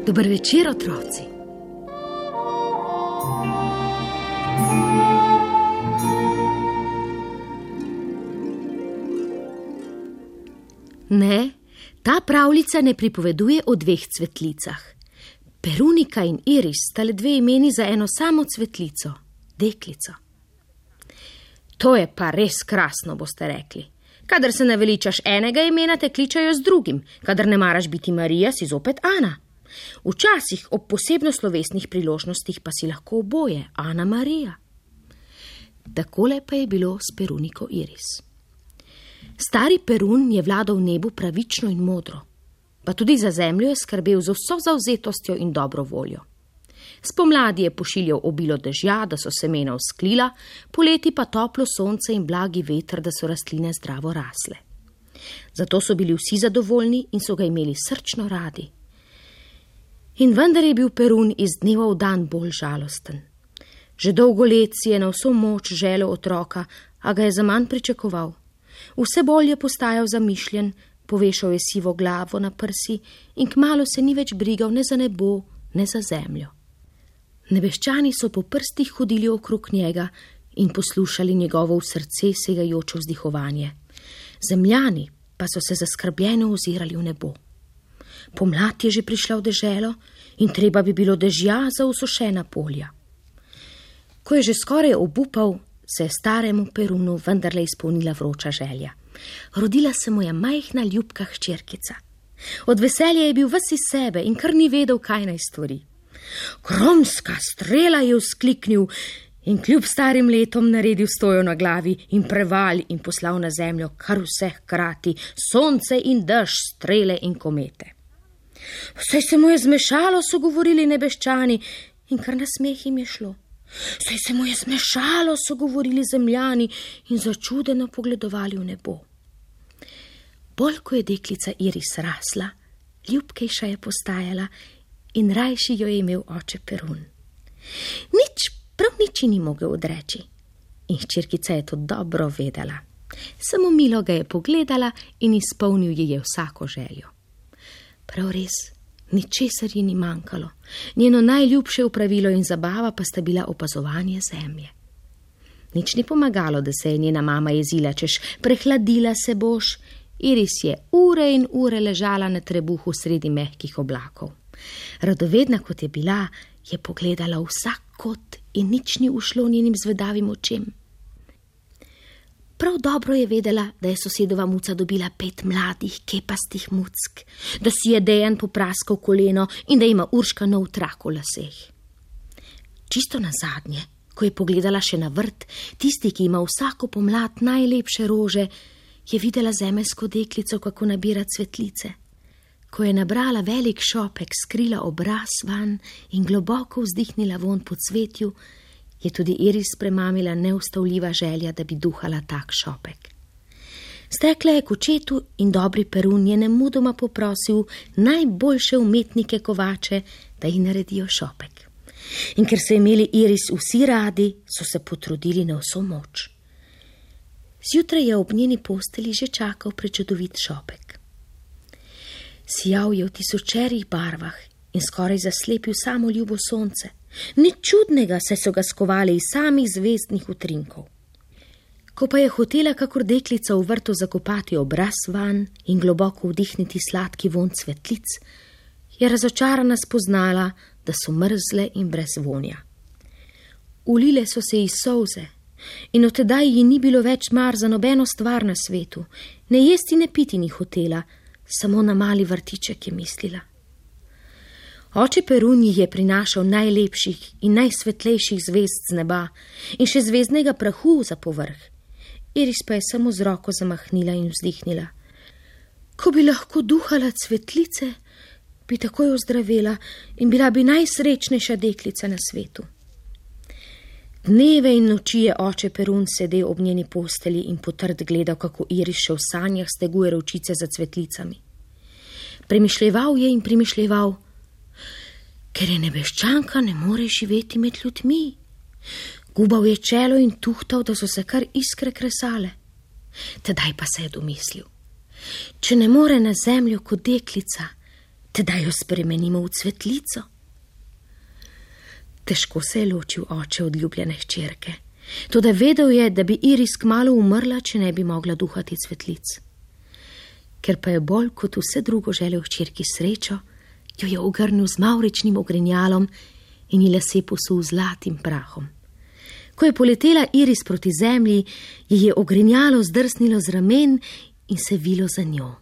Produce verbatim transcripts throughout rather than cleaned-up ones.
Dober večer, otroci. Ne, ta pravljica ne pripoveduje o dveh cvetlicah. Perunika in Iris sta le dve imeni za eno samo cvetlico, deklico. To je pa res krasno, boste rekli. Kadar se naveličaš enega imena, te kličajo z drugim. Kadar ne maraš biti Marija, si zopet Ana. Včasih ob posebno slovesnih priložnostih pa si lahko oboje, Ana Marija. Takole pa je bilo s Peruniko Iris. Stari Perun je vladal v nebu pravično in modro, pa tudi za zemljo je skrbel z vso zavzetostjo in dobro voljo. Spomladi je pošiljal obilo dežja, da so semena vzklila, poleti pa toplo sonce in blagi veter, da so rastline zdravo rasle. Zato so bili vsi zadovoljni in so ga imeli srčno radi. In vendar je bil Perun iz dneva v dan bolj žalosten. Že dolgo let si je na vso moč želel otroka, a ga je zaman pričakoval. Vse bolj je postajal zamišljen, povešal je sivo glavo na prsi in kmalu se ni več brigal ne za nebo, ne za zemljo. Nebeščani so po prstih hodili okrog njega in poslušali njegovo v srce segajoče vzdihovanje. Zemljani pa so se zaskrbljeno ozirali v nebo. Pomlad je že prišla v deželo in treba bi bilo dežja za usušena polja. Ko je že skoraj obupal, se je staremu Perunu vendarle izpolnila vroča želja. Rodila se mu je majhna ljubka hčerkica. Od veselja je bil ves iz sebe in kar ni vedel, kaj naj stori. Kromska strela je vzkliknil in kljub starim letom naredil stojo na glavi in preval in poslal na zemljo kar vse hkrati, sonce in dež, strele in komete. Vse se mu je zmešalo, so govorili nebeščani, in kar na smeh jim je šlo. Vse se mu je zmešalo, so govorili zemljani in začudeno pogledovali v nebo. Bolj ko je deklica Iris rasla, ljubkejša je postajala in rajši jo je imel oče Perun. Nič, prav nič ni mogel odreči. In hčerkica je to dobro vedela. Samo milo ga je pogledala in izpolnil ji je vsako željo. Prav res, ničesar ji ni manjkalo. Njeno najljubše opravilo in zabava pa sta bila opazovanje zemlje. Nič ni pomagalo, da se je njena mama jezila, češ prehladila se boš. Iris je ure in ure ležala na trebuhu sredi mehkih oblakov. Radovedna kot je bila, je pogledala vsak kot in nič ni ušlo njenim zvedavim očem. Prav dobro je vedela, da je sosedova muca dobila pet mladih, kepastih muck, da si je Dejan popraskal koleno in da ima Urška nov trak v laseh. Čisto nazadnje, ko je pogledala še na vrt, tisti, ki ima vsako pomlad najlepše rože, je videla zemeljsko deklico, kako nabira cvetlice. Ko je nabrala velik šopek, skrila obraz van in globoko vzdihnila vonj po cvetju, je tudi Iris premamila neustavljiva želja, da bi duhala tak šopek. Stekla je k očetu in dobri Perun je nemudoma poprosil najboljše umetnike kovače, da ji naredijo šopek. In ker so imeli Iris vsi radi, so se potrudili na vso moč. Zjutraj je ob njeni posteli že čakal prečudovit šopek. Sijal je v tisočerih barvah in skoraj zaslepil samo ljubo sonce. Nič čudnega, saj so ga skovali iz samih zvezdnih utrinkov. Ko pa je hotela kakor deklica v vrtu zakopati obraz van in globoko vdihniti sladki vonj cvetlic, je razočarana spoznala, da so mrzle in brez vonja. Ulile so se iz solze in od tedaj ji ni bilo več mar za nobeno stvar na svetu. Ne jesti, ne piti ni hotela, samo na mali vrtiček je mislila. Oče Perun ji je prinašal najlepših in najsvetlejših zvezd z neba in še zvezdnega prahu za povrh. Iris pa je samo z roko zamahnila in vzdihnila. Ko bi lahko duhala cvetlice, bi takoj ozdravela in bila bi najsrečnejša deklica na svetu. Dneve in noči je oče Perun sedel ob njeni posteli in potrd gledal, kako Iris še v sanjah steguje ročice za cvetlicami. Premišljeval je in premišljeval, ker je nebeščanka, ne more živeti med ljudmi. Gubal je čelo in tuhtal, da so se kar iskre kresale. Tedaj pa se je domislil. Če ne more na zemljo kot deklica, tedaj jo spremenimo v cvetlico. Težko se je ločil oče od ljubljene hčerke, toda vedel je, da bi Iris kmalu umrla, če ne bi mogla duhati cvetlic. Ker pa je bolj kot vse drugo želel hčerki srečo, jo je ogrnil z mavričnim ogrinjalom in ji lase posul zlatim prahom. Ko je poletela Iris proti zemlji, ji je ogrinjalo zdrsnilo z ramen in se vilo za njo.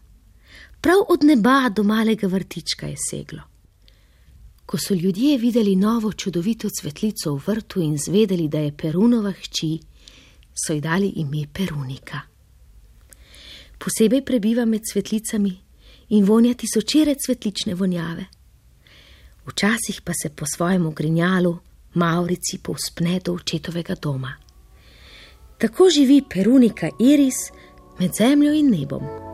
Prav od neba do malega vrtička je seglo. Ko so ljudje videli novo čudovito cvetlico v vrtu in zvedeli, da je Perunova hči, so ji dali ime Perunika. Posebej prebiva med cvetlicami in vonja tisočere cvetlične vonjave. Včasih pa se po svojem ogrinjalu mavrici povzpne do očetovega doma. Tako živi Perunika Iris med zemljo in nebom.